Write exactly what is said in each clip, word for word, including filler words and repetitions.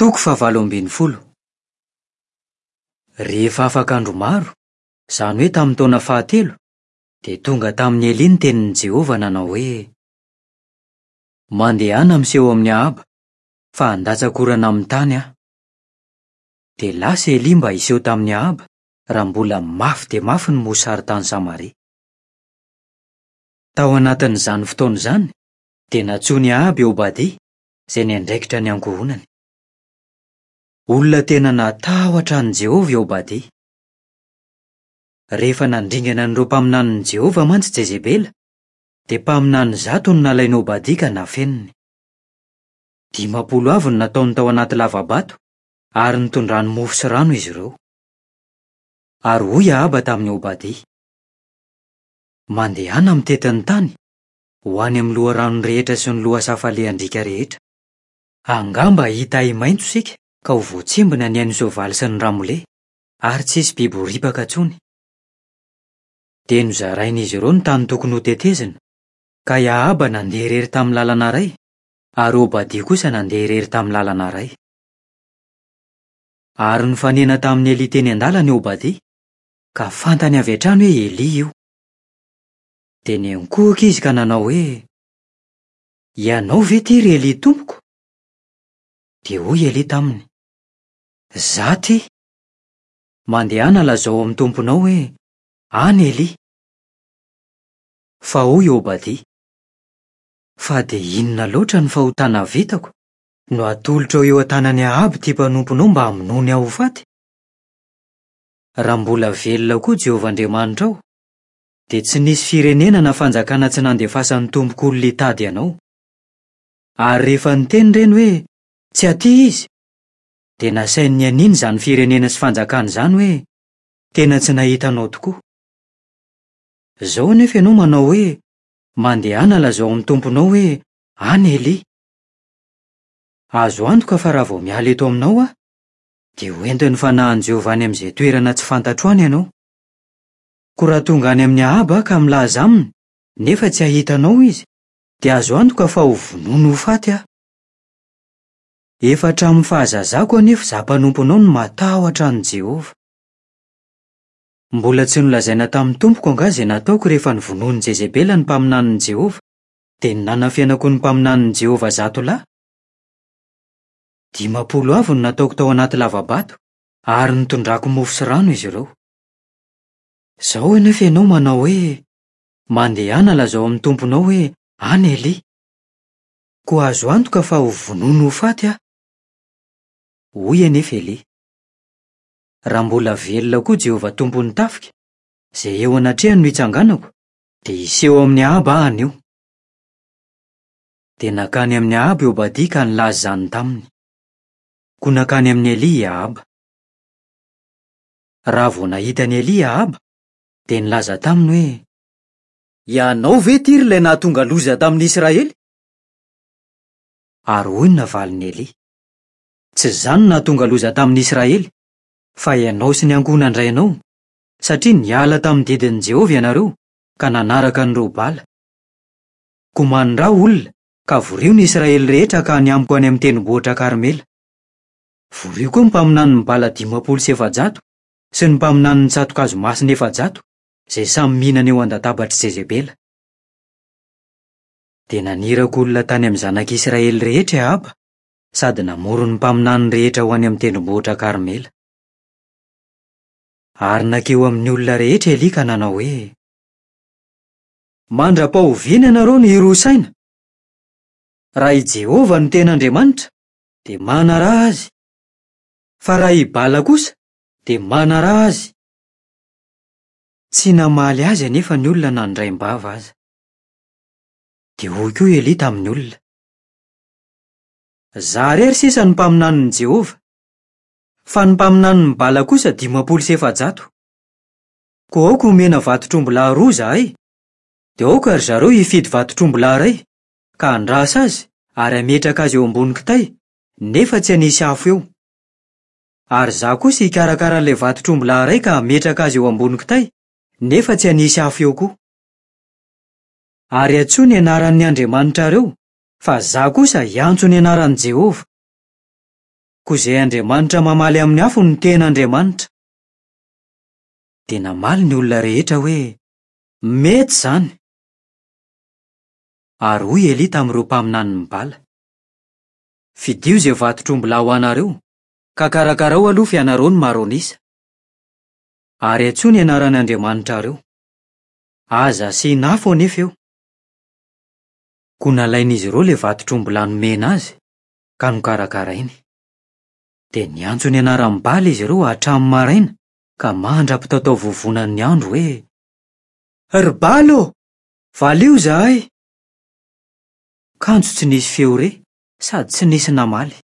Toko fahavalo ambin'ny folo. Rehefa afaka andro maro, izany hoe tamin'ny taona fahatelo, dia tonga tamin'i Elia ny tenin'i Jehovah nanao hoe: Mandehana miseho amin'i Ahaba, fa handatsaka orana amin'ny tany aho. Dia lasa Elia mba hiseho tamin'i Ahaba, raha mbola mafy dia mafy ny mosary tany Samaria. Tao anatin'izany fotoana izany, dia nantsoin'i Ahaba i Obadia, izay niandraikitra ny ankohonany. Olona tena natahotra an'i Jehovah i Obadia. Rehefa nandringana an'ireo mpaminanin'i Jehovah mantsy Jezebela, dia mpaminany zato no nalain'i Obadia ka nafeniny. Dimampolo avy no nataony tao anaty lava-bato, ary nitondrany mofo sy rano izy ireo. Ary hoy Ahaba tamin'i Obadia: Mandehana mitety ny tany, ho any amin'ny loharano rehetra sy ny lohasaha falehan-driaka rehetra. Angamba hahita ahi-maitso isika ka ho voatsimbina ny ain'ny soavaly sy ny ramole, ary tsy hisy biby ho ripaka intsony. Dia nozarain'izy ireo ny tany tokony hotetezina, ka i Ahaba nandeha irery tamin'ny lalana iray, ary Obadia kosa nandeha irery tamin'ny lalana iray. Ary nifanena tamin'i Elia teny an-dalana i Obadia, ka fantany avy hatrany hoe Elia io. Dia niankohoka izy ka nanao hoe: Ianao ve ity ry Elia tompoko? Dia hoy Elia taminy: Izaho ity. Mandehana lazao amin'ny tomponao hoe: Any Elia. Fa hoy Obadia: Fa dia inona loatra ny fahotana vitako no atolotrao eo an-tanan'i Ahaba ity mpanomponao mba hamonoany aho ho faty? Raha mbola velona koa Jehovah Andriamanitrao, dia tsy nisy firenena na fanjakana tsy nandefasan'ny tompoko olona hitady anao. Ary rehefa niteny ireny hoe: Tsy aty izy, dia nasainy nianiana izany firenena sy fanjakana izany hoe: Tena tsy nahita anao tokoa. Izao anefa ianao manao hoe: Mandehana lazao amin'ny tomponao hoe: Any Elia. Azo antoka fa raha vao miala eto aminao aho, dia hoentin'ny fanahin'i Jehovah any amin'izay toerana tsy fantatro any ianao. Koa raha tonga any amin'i Ahaba aho ka milaza aminy, nefa tsy hahita anao izy, dia azo antoka fa ho vonoiny ho faty aho. Efa hatramin'ny fahazazako anefa izaho mpanomponao no matahotra an'i Jehovah. Mbola tsy nolazaina tamin'ny tompoko angaha izay nataoko rehefa novonoin'i Jezebela ny mpaminanin'i Jehovah, dia ny nanafenako ny mpaminanin'i Jehovah zato lahy? Dimampolo avy no nataoko tao anaty lava-bato, ary nitondrako mofo sy rano izy ireo. Izao anefa ianao manao hoe: Mandehana lazao amin'ny tomponao hoe: Any Elia. Koa azo antoka fa ho vonoiny ho faty aho. Hoy anefa Elia: Raha mbola velona koa Jehovah tompon'ny tafika, izay eo anatrehany no hitsanganako, dia hiseho amin'i Ahaba aho anio. Dia nankany amin'i Ahaba i Obadia ka nilaza izany taminy. Koa nankany amin'i Elia i Ahaba. Raha vao nahita an'i Elia i Ahaba, dia nilaza taminy hoe: Ianao ve ity ry ilay nahatonga loza tamin'ny Israely? Ary hoy ny navalin'i Elia: Tsy izany no nahatonga loza tamin'ny Israely, fa ianao sy ny ankohonan-drainao, satria niala tamin'ny didin'i Jehovah ianareo ka nanaraka an'ireo Bala. Koa maniraha olona ka vorio ny Israely rehetra ka any amiko any amin'ny tendrombohitra Karmela. Vorio koa ny mpaminanin'ny Bala dimampolo sy efajato sy ny mpaminanin'ny tsato-kazo masina efajato, izay samy mihinana eo an-databatr'i Jezebela. Dia naniraka olona tany amin'ny zanak'Israely rehetra i Ahaba, sady namory ny mpaminany rehetra ho any amin'ny tendrombohitra Karmela. Ary nankeo amin'ny olona rehetra Elia ka nanao hoe: Mandra-pahoviana ianareo no hiroa saina? Raha i Jehovah no tena Andriamanitra, dia manaraha azy. Fa raha i Bala kosa, dia manaraha azy. Tsy namaly azy anefa ny olona na nindraim-bava aza. Dia hoy koa Elia tamin'ny olona: Izaho irery sisa no mpaminanin'i Jehovah, fa ny mpaminanin'i Bala kosa dimampolo sy efajato. Koa aoka homena vatotr'ombilahy roa izahay, dia aoka ry zareo hifidy vatotr'ombilahy iray, ka handrasa azy ary hametraka azy eo ambony kitay, nefa tsy hanisy afo eo. Ary izaho kosa hikarakara an'ilay vatotr'ombilahy iray ka hametraka azy eo ambony kitay, nefa tsy hanisy afo eo koa. Ary antsoy ny anaran'ny andriamanitrareo, fa izaho kosa hiantso ny anaran'i Jehovah. Koa izay Andriamanitra mamaly amin'ny afo no tena Andriamanitra. Dia namaly ny olona rehetra hoe, Mety izany. Ary hoy Elia tamin'ireo mpaminanin'i Bala, Fidio izay vatotr'ombilahy ho anareo, ka karakarao aloha fa ianareo no maro an'isa. Ary antsoy ny anaran'ny andriamanitrareo. Aza asiana afo anefa eo. Koa nalain'izy ireo ilay vatotr'ombilahy nomena azy, ka nokarakarainy. Dia niantso ny anaran'i Bala izy ireo hatramin'ny maraina ka mandra-pitataovovonan'ny andro hoe, Ry Bala ô, valio izahay! Kanjo tsy nisy feo re sady tsy nisy namaly.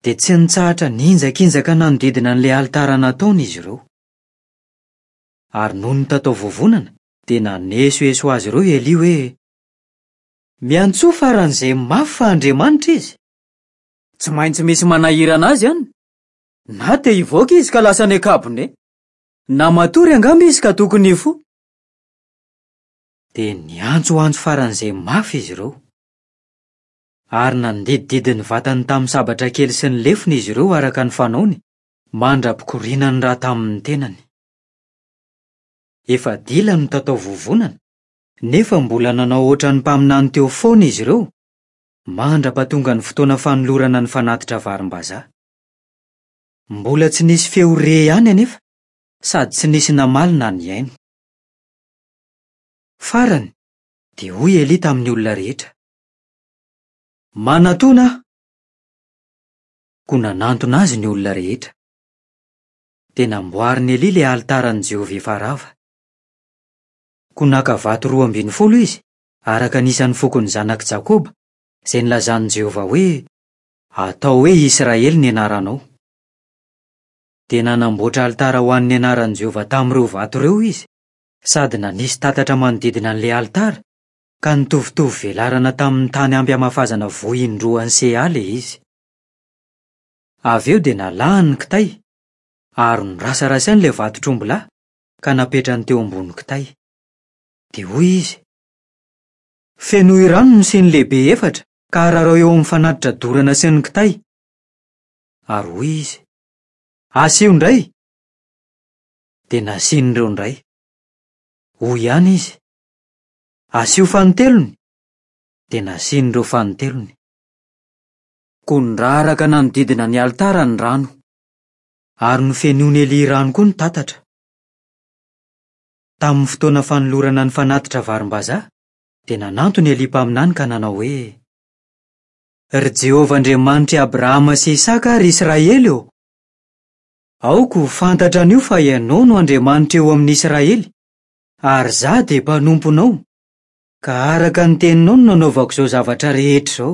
Dia tsy nitsahatra nihinjakinjaka nanodidina an'ilay alitara nataony izy ireo. Ary nony nitataovovonana dia nanesoeso azy ireo i Elia hoe, Miantsoa faran'izay mafy fa Andriamanitra izy. Tsy maintsy misy manahirana azy any. Na te hivoaka izy ka lasa any an-kabone. Na matory angamba izy ka tokony hifoha. Dia niantsoantso faran'izay mafy izy ireo. Ary nandidididy ny vatany tamin'ny sabatra kely sy ny lefona izy ireo araka ny fanaony, mandra-pikorianany ra tamin'ny tenany. Efa dila no tataovovonana, nefa mbola nanao hoatran'ny mpaminany teo foana izy ireo, mandra-pahatonga ny fotoana fanolorana ny fanatitra varimbazaha. Mbola tsy nisy feo re ihany anefa, sady tsy nisy namaly na nihaino. Farany, dia hoy Elia tamin'ny olona rehetra, Manatòna aho! Koa nanantona azy ny olona rehetra. Dia namboarin'i Elia ilay alitaran'i Jehovah efa rava. Koa naka vato roa ambin'ny folo izy, araka ny isan'ny fokon'ny zanak'i Jakoba, izay nilazan'i Jehovah hoe, Atao hoe Israely ny anaranao. Dia nanamboatra alitara ho an'ny anaran'i Jehovah tamin'ireo vato ireo izy, sady nanisy tatatra manodidina an'ilay alitara, ka nitovitovy velarana tamin'ny tany ampy hamafazana voa indroan'ny seha ilay izy. Avy eo dia nalahany ny kitay, ary norasarasainy ilay vatotr'ombilahy, ka napetrany teo ambony kitay. Dia hoy izy, Fenoy rano ny siny lehibe efatra ka ararao eo amin'ny fanatitra dorana sy ny kitay. Ary hoy izy, Asio indray! Dia nasian'ireo indray. Hoy ihany izy, Asio fanintelony! Dia nasian'ireo fanintelony. Koa niraraka nanodidina ny alitara ny rano. Ary nofenoin'i Elia rano koa ny tatatra. Tamin'ny fotoana fanolorana ny fanatitra varimbazaha, dia nanantona i Elia mpaminany ka nanao hoe, Ry Jehovah Andriamanitr'i Abrahama sy Isaka ary Israely ô, aoka ho fantatra anio fa Ianao no Andriamanitra eo amin'ny Israely, ary izaho dia mpanomponao, ka araka ny teninao no nanaovako izao zavatra rehetra izao.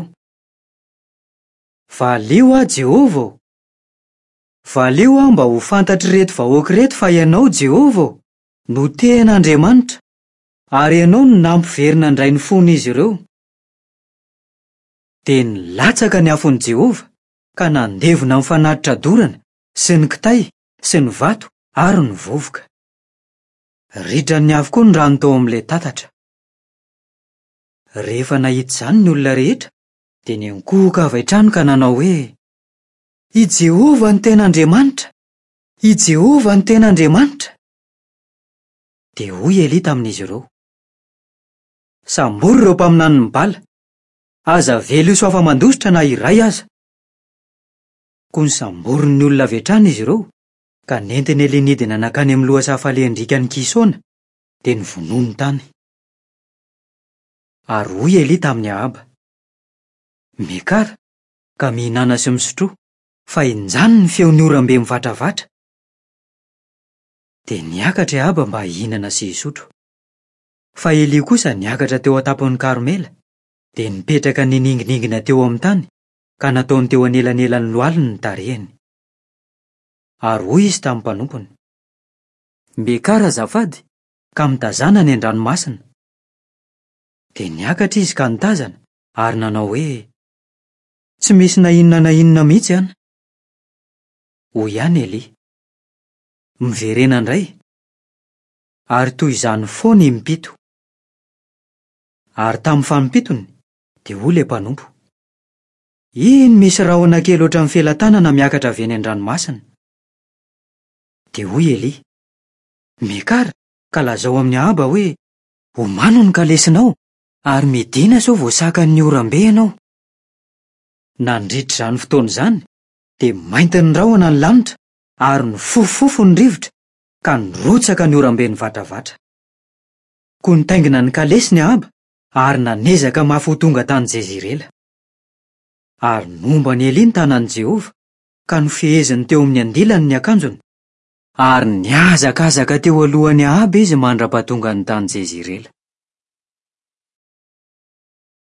Valio aho, Jehovah ô! Valio aho mba ho fantatr'ireto vahoaka ireto fa Ianao, Jehovah ô, no tena Andriamanitra, ary Ianao no nampiverina indray ny fon'izy ireo. Dia nilatsaka ny afon'i Jehovah, ka nandevona ny fanatitra dorana sy ny kitay sy ny vato ary ny vovoka. Ritran'ny afo koa ny rano tao amin'ilay tatatra. Rehefa nahita izany ny olona rehetra, dia niankohoka avy hatrany ka nanao hoe, I Jehovah no tena Andriamanitra! I Jehovah no tena Andriamanitra! Dia hoy Elia tamin'izy ireo, Sambory ireo mpaminanin'i Bala! Aza avela hisy ho afa-mandositra na iray aza! Koa nosamborin'ny olona avy hatrany izy ireo, ka nentin'i Elia nidina nankany amin'ny lohasaha falehan-driakan'i Kisona, dia novonoiny tany. Ary hoy Elia tamin'i Ahaba, Miakara, ka mihinàna sy misotroa, fa injany ny feon'ny oram-be mivatravatra. Dia niakatra i Ahaba mba hihinana sy hisotro. Fa Elia kosa niakatra teo an-tampon'i Karmela, dia nipetraka nininginingina teo amin'ny tany, ka nataony teo anelanelan'ny lohaliny ny tarehiny. Ary hoy izy tamin'ny mpanompony, Miakara azafady, ka mitazàna any an-dranomasina. Dia niakatra izy ka nitazana, ary nanao hoe, Tsy misy na inona na inona mihitsy an! Hoy ihany Elia, Miverena indray. Ary toy izany foana impito. Ary tamin'ny fanimpitony, dia hoy ilay mpanompo, Iny misy rahona kely ohatran'ny felatanana miakatra avy eny an-dranomasina. Dia hoy Elia: Miakara, ka lazao amin'i Ahaba hoe, Omano ny kalesinao, ary midìna sao voasakan'ny oram-be ianao. Nandritra izany fotoana izany, dia maintin'ny rahona ny lanitra ary nifofofofo ny rivotra, ka nirotsaka ny oram-be nivatravatra. Koa nitaingina ny kalesiny Ahaba ary nanezaka mafy ho tonga tany Jezirela. Ary nomba an'i Elia ny tanan'i Jehovah, ka nofeheziny teo amin'ny andilany ny akanjony, ary nihazakazaka teo alohan'i Ahaba izy mandra-pahatongany tany Jezirela.